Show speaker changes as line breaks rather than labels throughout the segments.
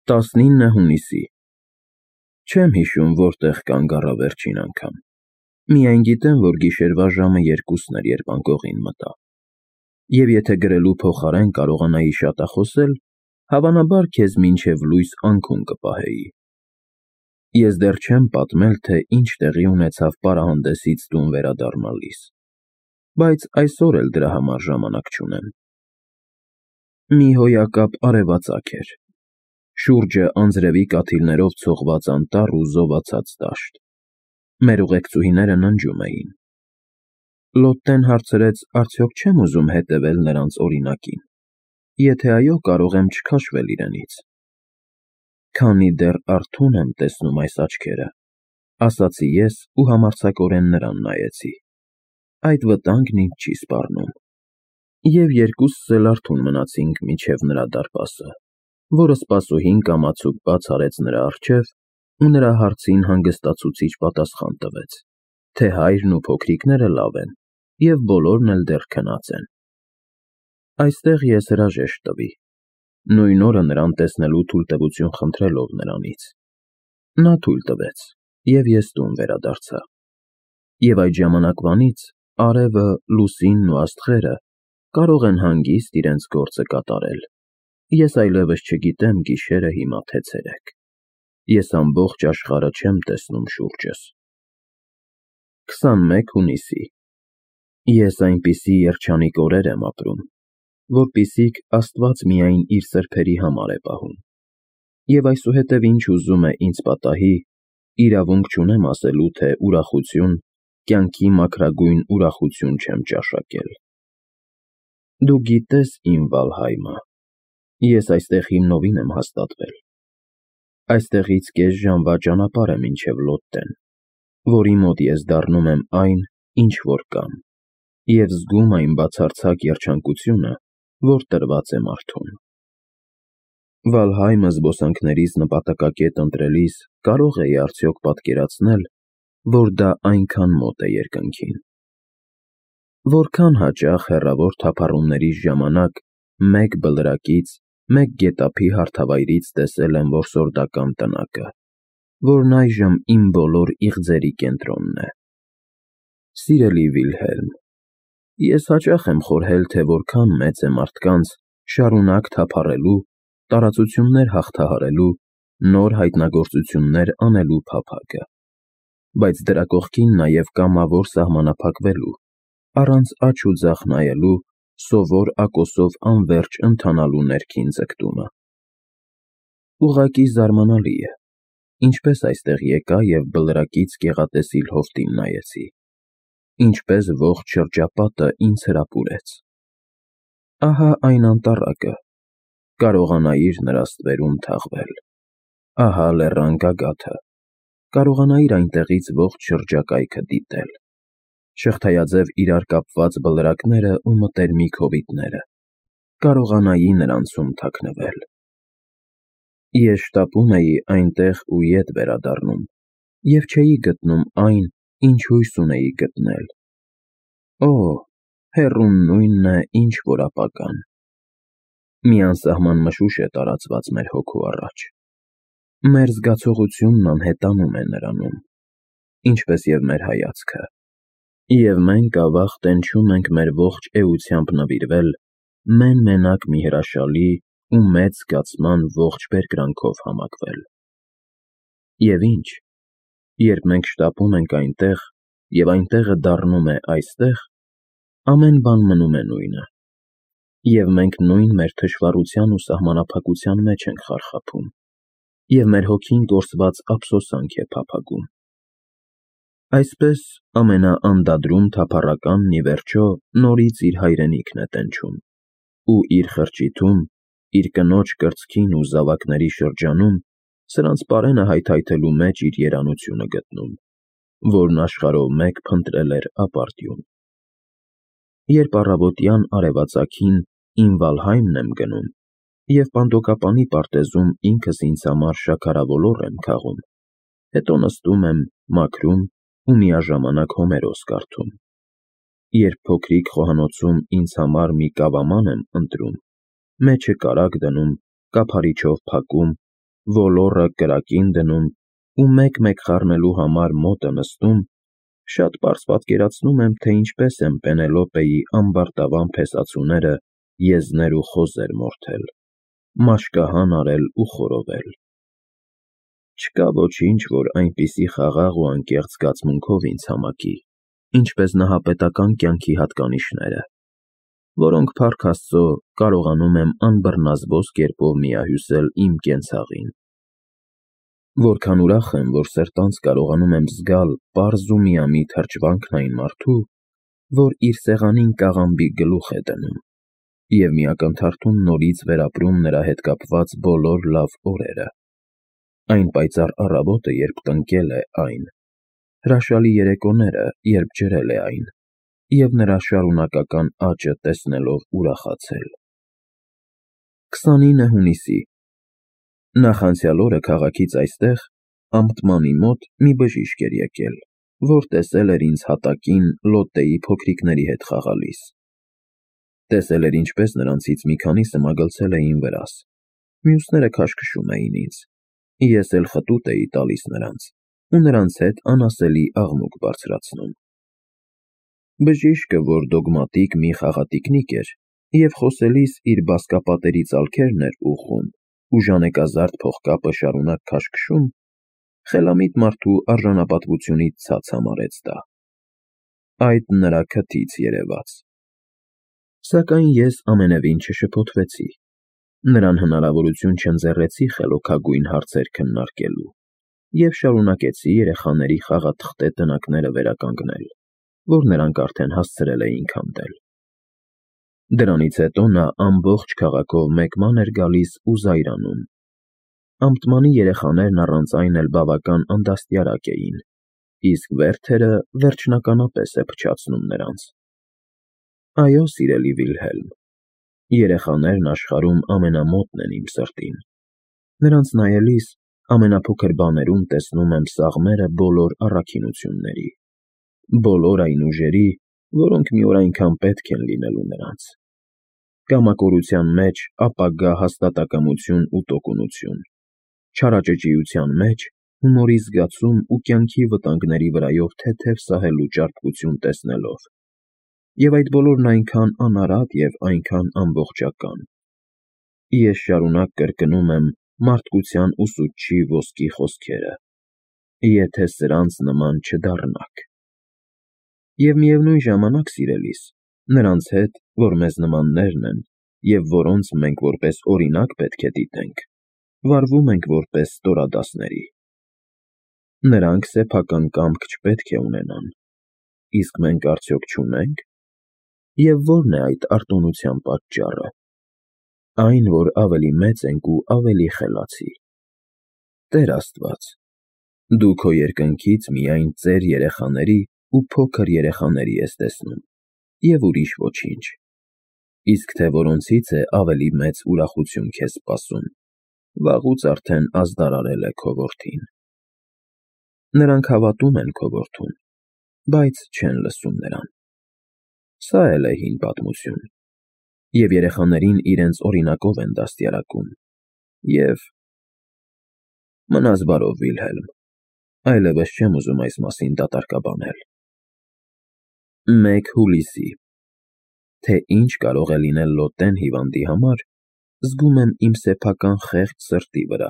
19 հունիսի Չեմ հիշում որտեղ կանգ առա վերջին անգամ, միայն գիտեմ, որ գիշերվա ժամը 2-ն էր, երբ անկողին մտա, և եթե գրելու փոխարեն կարողանայի շատախոսել, հավանաբար քեզ մինչև լույս անքուն կպահեի։ Ես դեռ չեմ պատմել, թե ինչ տեղի ունեցավ պարահանդեսից տուն վերադառնալիս, բայց այսօր էլ դրա համար ժամանակ չունեմ։ Մի հոյակապ արևածագ էր, շուրջը անձրևի կաթիլներով ցողված անտառ ու զովացած դաշտ։ Մեր ուղեկցուհիները ննջում էին։ Լոտտեն հարցրեց, արդյոք չեմ ուզում հետևել նրանց օրինակին, եթե այո, կարող եմ չքաշվել իրենից։ Քանի դեռ արթուն եմ տեսնում այս աչքերը, ասացի ես ու համարձակորեն նրան նայեցի։ Այդ վտանգն ինձ չի սպառնում։ Եվ երկուսս էլ արթուն մնացինք մինչև նրա դարպասը, որը սպասուհին կամացուկ բաց արեց նրա առջև ու նրա հարցին հանգստացուցիչ պատասխան տվեց, թե հայրն ու փոքրիկները լավ են և բոլորն էլ դեռ քնած են։ Այստեղ ես հրաժեշտ տվի, նույն օրը նրան տեսնելու թույլտվություն խնդրելով նրանից։ Նա թույլ տվեց, և ես տուն վերադարձա։ Եվ այդ ժամանակվանից արևը, լուսինն ու աստղերը կարող են հանգիստ իրենց գործը կատարել։ Ես այլևս չգիտեմ գիշերը հիմա թե ցերեկ։ Ես ամբողջ աշխարհը չեմ տեսնում շուրջս։ 21 հունիսի Ես այնպիսի երջանիկ օրեր եմ ապրում, որպիսիք Աստված միայն իր սրբերի համար է պահում։ Եվ այսուհետև ինչ ուզում է ինձ պատահի, իրավունք չունեմ ասելու, թե ուրախություն, կյանքի մաքրագույն ուրախություն չեմ ճաշակել։ Դու գիտես իմ Վալհայմը, ես այստեղ հիմնովին եմ հաստատվել։ Այստեղից կես ժամվա ճանապարհ է մինչև Լոտտեն, որի մոտ ես դառնում եմ այն, ինչ որ կամ, և զգում այն բացարձակ երջանկությունը, որ տրված է մարդուն։ Վալհայմը զբոսանքներիս նպատակակետ ընտրելիս կարող էի արդյոք պատկերացնել, որ դա այնքան մոտ է երկնքին։ Որքան հաճախ հեռավոր թափառումների ժամանակ մեկ բլրակից, մեկ գետափի հարթավայրից տեսել եմ որսորդական տնակը, որն այժմ իմ բոլոր իղձերի կենտրոնն է։ Սիրելի Վիլհելմ, ես հաճախ եմ խորհել, թե որքան մեծ է մարդկանց շարունակ թափառելու, տարածություններ հաղթահարելու, նոր հայտնագործություններ անելու փափագը, բայց դրա կողքին նաև կամավոր սահմանափակվելու, առանց աջ ու ձախ նայելու, սովոր ակոսով անվերջ ընթանալու ներքին ձգտումը։ Ուղղակի զարմանալի է, ինչպես այստեղ եկա և բլրակից գեղատեսիլ հովտին նայեցի, ինչպես ողջ շրջապատը ինձ հրապուրեց։ Ահա այն անտառակը, կարողանայիր նրա ստվերում թաղվել։ Ահա լեռան գագաթը, կարողանայիր այնտեղից ողջ շրջակայքը դիտել։ Շղթայաձև իրար կապված բլրակները ու մտերմիկ հովիտները, կարողանայի նրանցում թաքնվել։ Ես շտապում էի այնտեղ ու ետ վերադառնում և չէի գտնում այն, ինչ հույս ունեի գտնել։ Օ, հեռուն նույնն է, ինչ որ ապագան։ Մի անսահման մշուշ է տարածված մեր հոգու առաջ։ Մեր զգացողությունն անհետանում է նրանում, ինչպես և մեր հայացքը, և մենք ավաղ տենչում ենք մեր ողջ էությամբ նվիրվել մեն֊մենակ մի հրաշալի ու մեծ զգացման ողջ բերկրանքով համակվել։ Եվ ինչ, երբ մենք շտապում ենք այնտեղ, և այնտեղը դառնում է այստեղ, ամեն բան մնում է նույնը, և մենք նույն մեր թշվառության ու սահմանափակության մեջ ենք խարխափում, և մեր հոգին կորսված ափսոսանք է փափագում։ Այսպես ամենաանդադրում թափառականն ի վերջո նորից իր հայրենիքն է տենչում, ու իր խրճիթում, իր կնոջ կրծքին ու զավակների շրջանում սրանց պարենը հայթայթելու մեջ իր երանությունը գտնում, որն աշխարհով մեկ փնտրել էր ապարդյուն։ Երբ առավոտյան արևածագին իմ Վալհայմն եմ գնում, և պանդոկապանի պարտեզում ինքս ինձ համար շաքարավոլոր եմ քաղում, հետո նստում եմ, մաքրում ու միաժամանակ Հոմերոս կարդում։ Երբ փոքրիկ խոհանոցում ինձ համար մի կավաման եմ ընտրում, մեջը կարագ դնում, կափարիչով փակում ոլոռը կրակին դնում ու մեկ-մեկ խառնելու համար մոտը նստում, շատ պարզ պատկերացնում եմ, թե ինչպես եմ Պենելոպեի ամբարտավան փեսացուները եզներ ու խոզեր մորթել, մաշկահան արել ու խորովել։ Չկա ոչինչ, որ այնպիսի խաղաղ ու անկեղծ զգացմունքով ինձ համակի, ինչպես նահապետական կյանքի հատկանիշները, որոնք փառք Աստծո կարողանում եմ անբռնազբոս կերպով միահյուսել իմ կենցաղին։ Որքան ուրախ եմ, որ սրտանց կարողանում եմ զգալ պարզ ու միամիտ հրճվանքն այն մարդու, որ իր սեղանին կաղամբի գլուխ է դնում, և մի ակնթարթում նորից վերապրում նրա հետ կապված բոլոր լավ օրերը, այն պայծառ առավոտը, երբ տնկել է այն, հրաշալի երեկոները, երբ ջրել է այն, և նրա շարունակական աճը տեսնելով ուրախացել։ 29 հունիսի նախանցյալ օրը քաղաքից այստեղ, Ամտմանի մոտ, մի բժիշկ էր եկել, որ տեսել էր ինձ հատակին Լոտտեի փոքրիկների հետ խաղալիս։ Տեսել էր, ինչպես նրանցից մի քանիսը մագլցել էին վրաս, մյուսները քաշքշում էին ինձ, ես էլ խտուտ էի տալիս նրանց ու նրանց հետ անասելի աղմուկ բարձրացնում։ Բժիշկը, որ դոգմատիկ մի խաղատիկնիկ էր, և խոսելիս իր բազկապատերի ծալքերն էր ուղղում ու ժանեկազարդ փողկապը շարունակ քաշքշում, խելամիտ մարդու արժանապատվությունից ցած համարեց դա։ Այդ նրա քթից երևաց։ Սակայն ես ամենևին չշփոթվեցի, նրան հնարավորություն չընձեռեցի խելոքագույն հարցեր քննարկելու և շարունակեցի երեխաների խաղաթղթե տնակները վերականգնել, որ նրանք արդեն հասցրել էին քանդել։ Դրանից հետո նա ամբողջ քաղաքով մեկ ման էր գալիս ու զայրանում։ Ամտմանի երեխաներն առանց այն էլ բավական անդաստիարակ էին, իսկ վերթերը վերջնականապես է փչացնում նրանց։ Այո, սիրելի Վիլհելմ, երեխաներն աշխարհում ամենամոտն են իմ սրտին։ Նրանց նայելիս ամենափոքր բաներում տեսնում եմ սաղմերը բոլոր առաքինությունների, բոլոր այն ուժերի, որոնք մի օր այնքան պետք են լինելու նրանց։ Կամակորության մեջ ապագա հաստատակամություն ու տոկունություն, չարաճճիության մեջ հումորի զգացում ու կյանքի վտանգների վրայով թեթև սահելու ճարպկություն տեսնելով, և այդ բոլորն այնքան անարատ և այնքան ամբողջական։ Ես շարունակ կրկնում եմ մարդկության ուսուցչի ոսկի խոսքերը. եթե սրանց նման չդառնաք։ Եվ միևնույն ժամանակ, սիրելիս, նրանց հետ, որ մեզ նմաններն են, և որոնց մենք որպես օրինակ պետք է դիտենք, վարվում ենք որպես ստորադասների։ Նրանք սեփական կամք չպետք է ունենան, իսկ մենք արդյոք չունե՞նք։ Եվ ո՞րն է այդ արտոնության պատճառը։ Այն, որ ավելի մեծ ենք ու ավելի խելացի։ Տեր Աստված, դու քո երկնքից միայն ծեր երեխաների ու փոքր երեխաների ես տեսնում, և ուրիշ ոչինչ, իսկ թե որոնցից է ավելի մեծ ուրախություն քեզ սպասում, վաղուց արդեն ազդարարել է քո որդին։ Նրանք հավատում են քո որդուն, բայց չեն լսում նրան։ Սա էլ է հին պատմություն, և երեխաներին իրենց օրինակով են դաստիարակում, և… Մնաս բարով, Վիլհելմ, այլևս չեմ ուզում այս մասին դատարկաբանել։ 1 հուլիսի Թե ինչ կարող է լինել Լոտտեն հիվանդի համար, զգում եմ իմ սեփական խեղճ սրտի վրա,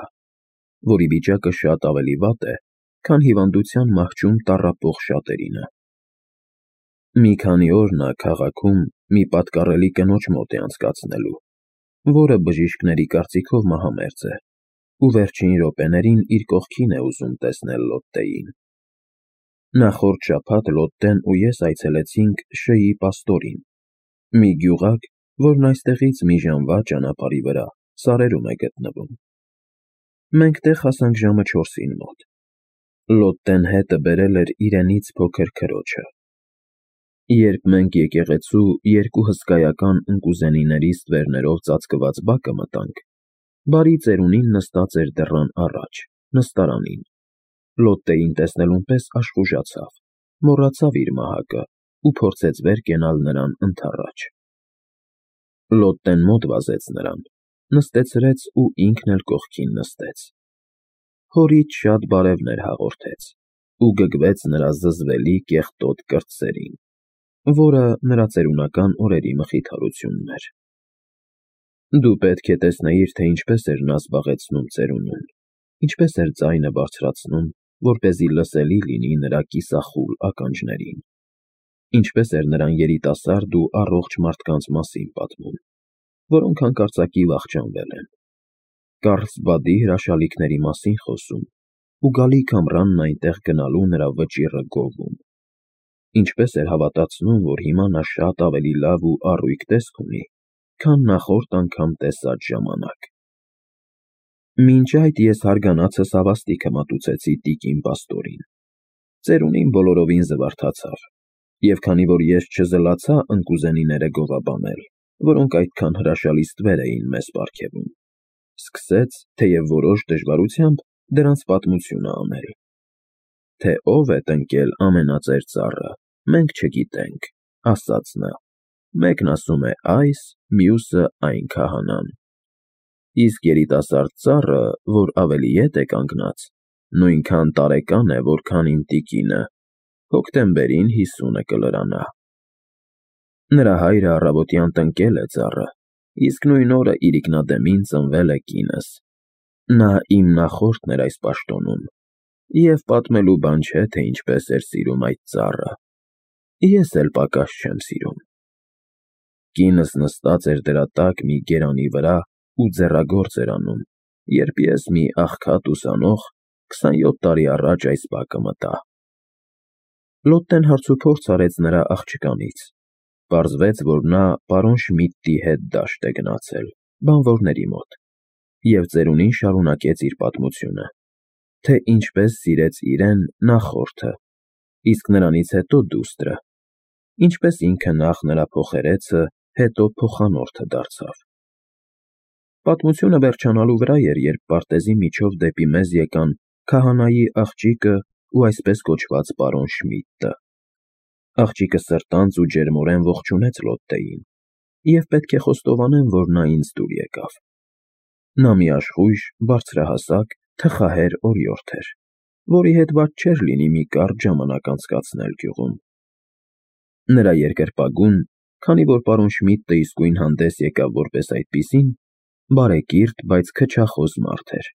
որի վիճակը շատ ավելի վատ է, քան հիվանդության մահճում տառապող շատերինը։ Մի քանի օր նա քաղաքում մի պատկառելի կնոջ մոտ է անցկացնելու, որը բժիշկների կարծիքով մահամերձ է, ու վերջին րոպեներին իր կողքին է ուզում տեսնել Լոտտեին։ Նախորդ շաբաթ Լոտտեն ու ես այցելեցինք Շ-ի պաստորին, մի գյուղակ, որն այստեղից մի ժամվա ճանապարհի վրա սարերում է գտնվում։ Մենք տեղ հասանք ժամը 4-ին մոտ։ Լոտտեն հետը բերել էր իրենից փոքր քրոջը։ Երբ մենք եկեղեցու երկու հսկայական ընկուզենիների ստվերներով ծածկված բակը մտանք, բարի ծերունին նստած էր դռան առաջ, նստարանին։ Լոտտեին տեսնելուն պես աշխուժացավ, մոռացավ իր մահակը ու փորձեց վեր կենալ նրան ընդառաջ։ Լոտտեն մոտ վազեց նրան, նստեցրեց ու ինքն էլ կողքին նստեց։ հորից շատ բարևներ հաղորդեց ու գգվեց նրա զզվելի կեղտոտ կրտսերին, որը նրա ծերունական օրերի մխիթարությունն էր։ Դու պետք է տեսնեիր, թե ինչպես էր նա զբաղեցնում ծերունուն, ինչպես էր ձայնը բարձրացնում, որպեսզի լսելի լինի նրա կիսախուլ ականջներին, ինչպես էր նրան երիտասարդ ու առողջ մարդկանց մասին պատմում, որոնք հանկարծակի վախճանվել են, Կառլսբադի հրաշալիքների մասին խոսում ու գալիք ամռանն այնտեղ գնալու նրա վճիռը գովում, ինչպես էր հավատացնում, որ հիմա նա շատ ավելի լավ ու առույգ տեսք ունի, քան նախորդ անգամ տեսած ժամանակ։ Մինչ այդ ես հարգանացս հավաստիքը մատուցեցի տիկին պաստորին։ Ծերունին բոլորովին զվարթացավ, և քանի որ ես չզլացա ընկուզենիները գովաբանել, որոնք այդքան հրաշալի ստվեր էին մեզ պարգևում, սկսեց, թեև որոշ դժվարությամբ, դրանց պատմությունը անել։ Թե ով է տնկել ամենածեր ծառը, մենք չգիտենք, ասաց նա, մեկն ասում է այս, մյուսը այն քահանան։ Իսկ երիտասարդ ծառը, որ ավելի ետ է կանգնած, նույնքան տարեկան է, որքան իմ տիկինը, հոկտեմբերին 50-ը կլրանա։ Նրա հայրը առավոտյան տնկել է ծառը, իսկ նույն օրը իրիկնադեմին ծնվել է կինս։ Նա իմ նախորդն էր այս պաշտոնում, և պատմելու բան չէ, թե ինչպես էր սիրում այդ ծառը։ Ես էլ պակաս չեմ սիրում։ Կինս նստած էր դրա տակ մի գերանի վրա ու ձեռագործ էր անում, երբ ես մի աղքատ ուսանող 27 տարի առաջ այս բակը մտա։ Լոտտեն հարցուփորձ արեց նրա աղջկանից։ Պարզվեց, որ նա պարոն Շմիդտի հետ դաշտ է գնացել, բանվորների մոտ, և ծերունին շարունակեց իր պատմությունը, թե ինչպես սիրեց իրեն նախորդը, իսկ նրանից հետո դուստրը, ինչպես ինքը նախ նրա փոխերեցը, հետո փոխանորդը դարձավ։ Պատմությունը վերջանալու վրա էր, երբ պարտեզի միջով դեպի մեզ եկան քահանայի աղջիկը ու այսպես կոչված պարոն Շմիդտը։ Աղջիկը սրտանց ու ջերմորեն ողջունեց Լոտտեին, և պետք է խոստովանեմ, որ նա ինձ դուր եկավ։ Նա մի աշխույժ, բարձրահասակ, թխահեր օրիորդ էր, որի հետ վատ չէր լինի մի կարճ ժամանակ անցկացնել գյուղում։ Նրա երկրպագուն, քանի որ պարոն Շմիդտը իսկույն հանդես եկավ որպես այդպիսին, բարեկիրթ, բայց քչախոս մարդ էր,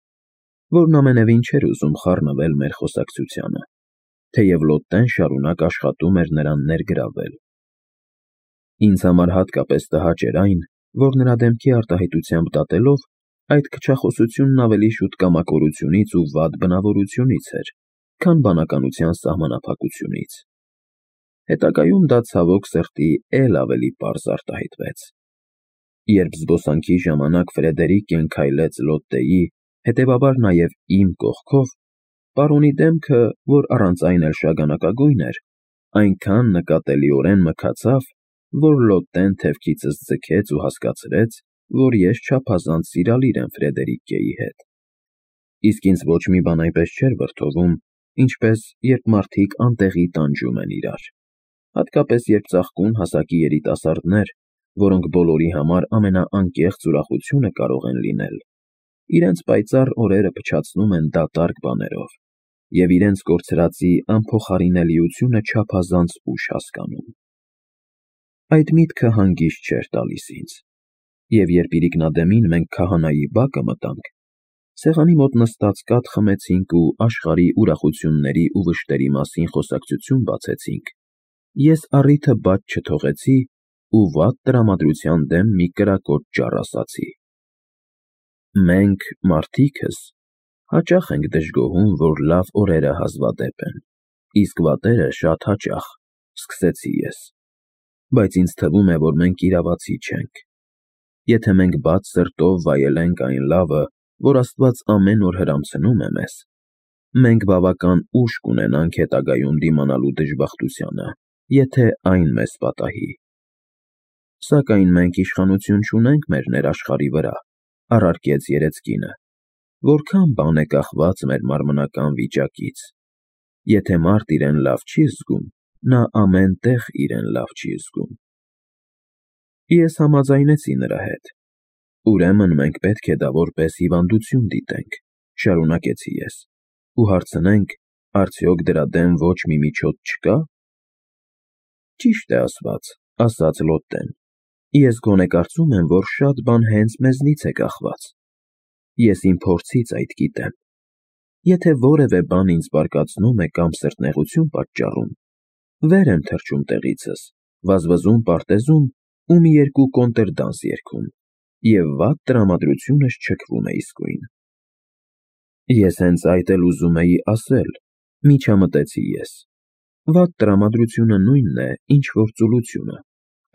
որն ամենևին չէր ուզում խառնվել մեր խոսակցությանը, թեև Լոտտեն շարունակ աշխատում էր նրան ներգրավել։ Ինձ համար հատկապես տհաճ էր այն, որ նրա դեմքի արտահայտությամբ դատելով, այդ քչախոսությունն ավելի շուտ կամակորությունից ու վատ բնավորությունից էր, քան բանականության սահմանափակությունից։ Հետագայում դա ցավոք սրտի էլ ավելի պարզ արտահայտվեց։ Երբ զբոսանքի ժամանակ Ֆրեդերիկեն քայլեց Լոտտեի, հետևաբար նաև իմ կողքով, պարոնի դեմքը, որ առանց այն էլ շագանակագույն էր, այնքան նկատելիորեն մքացավ, որ Լոտտեն թևքիցս ձգեց ու հասկացրեց, որ ես չափազանց սիրալիր եմ Ֆրեդերիկեի հետ։ Իսկ ինձ ոչ մի բան այնպես չէր վրդովում, ինչպես երբ մարդիկ անտեղի տանջում են իրար, հատկապես երբ ծաղկուն հասակի երիտասարդներ, որոնք բոլորի համար ամենաանկեղծ ուրախությունը կարող են լինել, իրենց պայծառ օրերը փչացնում են դատարկ բաներով և իրենց կորցրածի անփոխարինելիությունը չափազանց ուշ հասկանում։ Այդ միտքը հանգիստ չէր տալիս ինձ, և երբ իրիկնադեմին մենք քահանայի բակը մտանք, սեղանի մոտ նստած կաթ խմեցինք ու աշխարհի ուրախությունների ու վշտերի մասին խոսակցություն բացեցինք, ես առիթը բաց չթողեցի ու վատ տրամադրության դեմ մի կրակոտ ճառ ասացի. «Մենք, մարդիկս, հաճախ ենք դժգոհում, որ լավ օրերը հազվադեպ են, իսկ վատերը շատ հաճախ», սկսեցի ես, բայց ինձ թվում է, որ մենք իրավացի չենք։ Եթե մենք բաց սրտով վայելենք այն լավը, որ Աստված ամեն օր հրամցնում է մեզ, մենք բավական ուժ կունենանք հետագայում դիմանալու դժբախտությանը, եթե այն մեզ պատահի։ Սակայն մենք իշխանություն չունենք մեր ներաշխարհի վրա, առարկեց երեցկինը, որքան բան է կախված մեր մարմնական վիճակից։ Եթե մարդ իրեն լավ չի զգում, նա ամեն տեղ իրեն լավ չի զգում։ Ես համաձայնեցի նրա հետ։ Ուրեմն մենք պետք է դա որպես հիվանդություն դիտենք, շարունակեցի ես, ու հարցնենք, արդյոք դրա դեմ ոչ մի միջոց չկա։ Ճիշտ է ասված, ասաց Լոտտեն, ես գոնե կարծում եմ, որ շատ բան հենց մեզնից է կախված։ Ես իմ փորձից այդ գիտեմ։ Եթե որևէ բան ինձ բարկացնում է կամ սրտնեղություն պատճառում, վեր եմ թռչում տեղիցս, վազվզում պարտեզում ու մի երկու կոնտրդանս երգում, և վատ տրամադրությունս չքվում է իսկույն։ Ես հենց այդ էլ ուզում էի ասել, միջամտեցի ես։ Վատ տրամադրությունը նույնն է, ինչ որ ծուլությունը,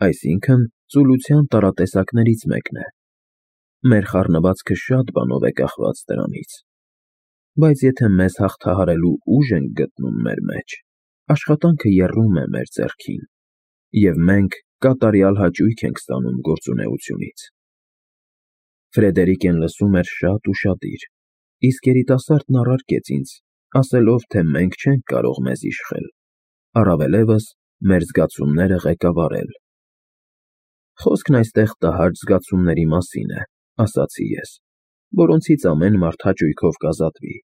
այսինքն ծուլության տարատեսակներից մեկն է։ Մեր խառնվածքը շատ բանով է կախված դրանից։ Բայց եթե մեզ հաղթահարելու ուժ ենք գտնում մեր մեջ, աշխատանքը եռում է մեր ձեռքին, և մենք կատարյալ հաճույք ենք ստանում գործունեությունից։ Ֆրեդերիկեն լսում էր շատ ուշադիր, իսկ երիտասարդն առարկեց ինձ, ասելով, թե մենք չենք կարող մեզ իշխել, առավելևս մեր զգացումները ղեկավարել։ Խոսքն այստեղ տհաճ զգացումների մասին է, ասացի ես, որոնցից ամեն մարդ հաճույքով կազատվի։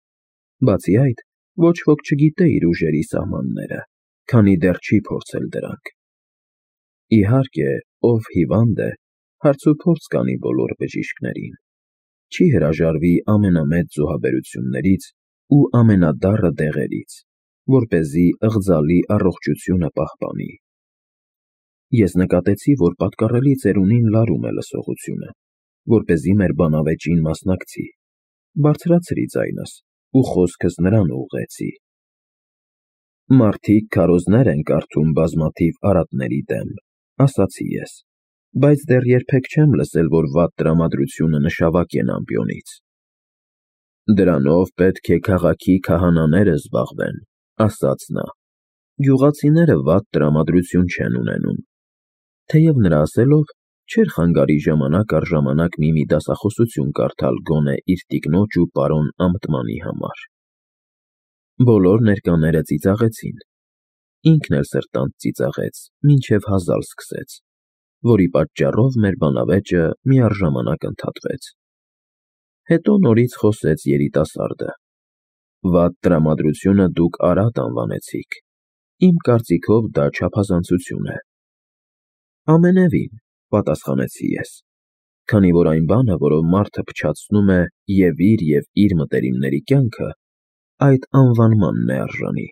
Բացի այդ, ոչ ոք չգիտե իր ուժերի սահմանները, քանի դեռ չի փորձել դրանք։ Իհարկե, ով հիվանդ է, հարցուփորձ կանի բոլոր բժիշկներին, չի հրաժարվի ամենամեծ զոհաբերություններից ու ամենադառը դեղերից, որպեսզի ըղձալի առողջությունը պահպանի։ Ես նկատեցի, որ պատկառելի ծերունին լարում է լսողությունը, որպեսզի մեր բանավեճին մասնակցի, բարձրացրի ձայնս ու խոսքս նրան ուղղեցի։ Մարդիկ քարոզներ են կարդում բազմաթիվ արատների դեմ, ասացի ես, բայց դեռ երբեք չեմ լսել, որ վատ տրամադրությունը նշավակեն ամպիոնից։ Դրանով պետք է քաղաքի քահանաները զբաղվեն, ասաց նա։ Գյուղացիները վատ տրամադրություն չեն ունենում։ Թեև նրա ասելով չէր խանգարի ժամանակ առ ժամանակ մի դասախոսություն կարդալ գոնե իր տիկնոջ ու պարոն Ամտմանի համար։ Բոլոր ներկաները ծիծաղեցին։ Ինքն էլ սրտանց ծիծաղեց, մինչև հազալ սկսեց, որի պատճառով մեր բանավեճը միառժամանակ ընդհատվեց։ Հետո նորից խոսեց երիտասարդը. Վատ տրամադրությունը դուք արատ անվանեցիք։ Իմ կարծիքով դա չափազանցություն է։ Ամենևին, պատասխանեցի ես, քանի որ այն բանը, որով մարդը փչացնում է և իր մտերիմների կյանքը, այդ անվանմանն է արժանի։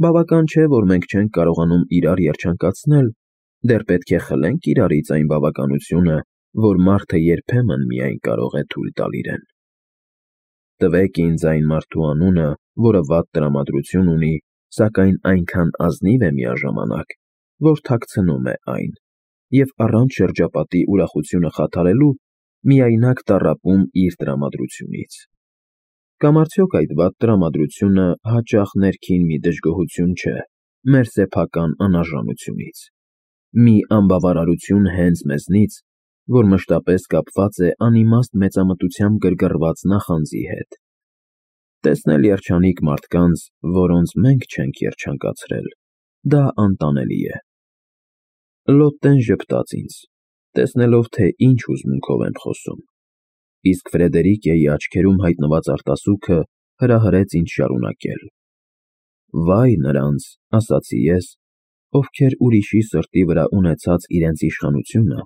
Բավական չէ, որ մենք չենք կարողանում իրար երջանկացնել, դեռ պետք է խլենք իրարից այն բավականությունը, որ մարդը երբեմն միայն կարող է թույլ տալ իրեն։ Տվեք ինձ այն մարդու անունը, որը վատ տրամադրություն ունի, սակայն այնքան ազնիվ է միաժամանակ, որ թաքցնում է այն, և առանց շրջապատի ուրախությունը խաթարելու միայնակ տառապում իր տրամադրությունից։ Կամ արդյոք այդ վատ տրամադրությունը հաճախ ներքին մի դժգոհություն չէ մեր սեփական անարժանությունից, մի անբավարարություն հենց մեզնից, որ մշտապես կապված է անիմաստ մեծամտությամբ գրգռված նախանձի հետ։ Տեսնել երջանիկ մարդկանց, որոնց մենք չենք երջանկացրել, դա անտանելի է։ Լոտտեն ժպտաց ինձ, տեսնելով, թե ինչ հուզմունքով եմ խոսում, իսկ Ֆրեդերիկեի աչքերում հայտնված արտասուքը հրահրեց ինձ շարունակել։ Վայ նրանց, ասացի ես, ովքեր ուրիշի սրտի վրա ունեցած իրենց իշխանությունը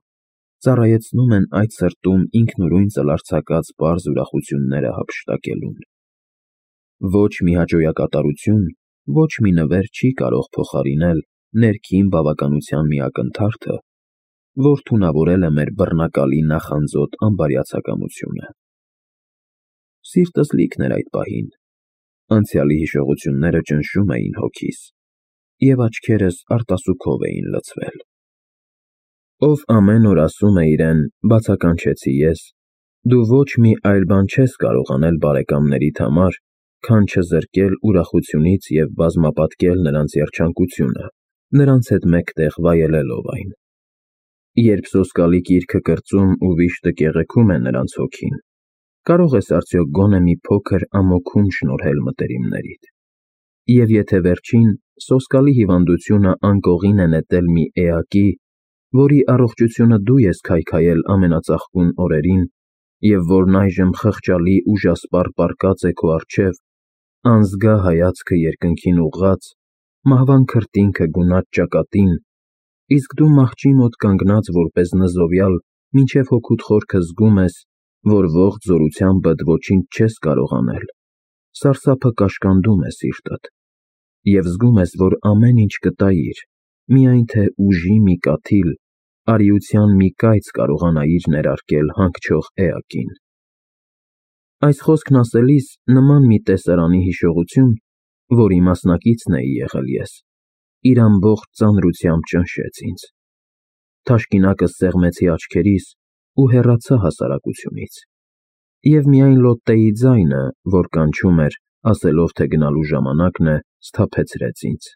ծառայեցնում են այդ սրտում ինքնուրույն ծլարձակած պարզ ուրախությունները հափշտակելուն։ Ոչ մի հաճոյակատարություն, ոչ մի նվեր չի կարող փոխարինել ներքին բավականության մի ակնթարթը, որ թունավորել է մեր բռնակալի նախանձոտ անբարյացակամությունը։ Սիրտս լիքն էր այդ պահին, անցյալի հիշողությունները ճնշում էին հոգիս, և աչքերս արտասուքով էին լցվել։ Ով ամեն օր ասում է իրեն, բացականչեցի ես, դու ոչ մի այլ բան չես կարող անել բարեկամներիդ համար, քան չզրկել ուրախությունից և բազմապատկել նրանց երջանկությունը, նրանց հետ մեկտեղ վայելելով այն։ Երբ սոսկալի գիրքը կրծում ու վիշտը կեղեքում է նրանց հոգին, կարող ես արդյոք գոնե մի փոքր ամոքում շնորհել մտերիմներիդ։ Եվ եթե վերջին սոսկալի հիվանդությունը անկողին է նետել մի էակի, որի առողջությունը դու ես քայքայել ամենածաղկուն օրերին, և որն այժմ խղճալի ուժասպառ պառկած է քո առջև, անզգա հայացքը երկնքին ուղղած, մահվան քրտինքը գունատ ճակատին, իսկ դու մահճի մոտ կանգնած որպես նզովյալ մինչև հոգուդ խորքը զգում ես, որ ողջ զորությանբդ ոչինչ չես կարող անել, սարսափը կաշկանդում է սիրտդ, և զգում ես, որ ամեն ինչ կտայիր, միայն թե ուժի մի կաթիլ, արիության մի կայծ կարողանայիր ներարկել հանգչող էակին։ Այս խոսքն ասելիս նման մի տեսարանի հիշողություն, որի մասնակիցն էի եղել ես, իր ամբողջ ծանրությամբ ճնշեց ինձ։ Թաշկինակս սեղմեցի աչքերիս ու հեռացա հասարակությունից, և միայն Լոտտեի ձայնը, որ կանչում էր, ասելով, թե գնալու ժամանակն է, սթափեցրեց ինձ։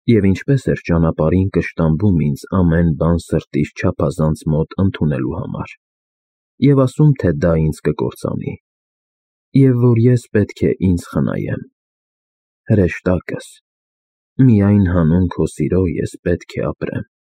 Եվ ինչպես էր ճանապարհին կշտամբում ինձ ամեն բան սրտիս չափազանց մոտ ընդունելու համար, և ասում, թե դա ինձ կկործանի, և որ ես պետք է ինձ խնայեմ։ Հրեշտակս, միայն հանուն քո սիրո ես պետք է ապրեմ։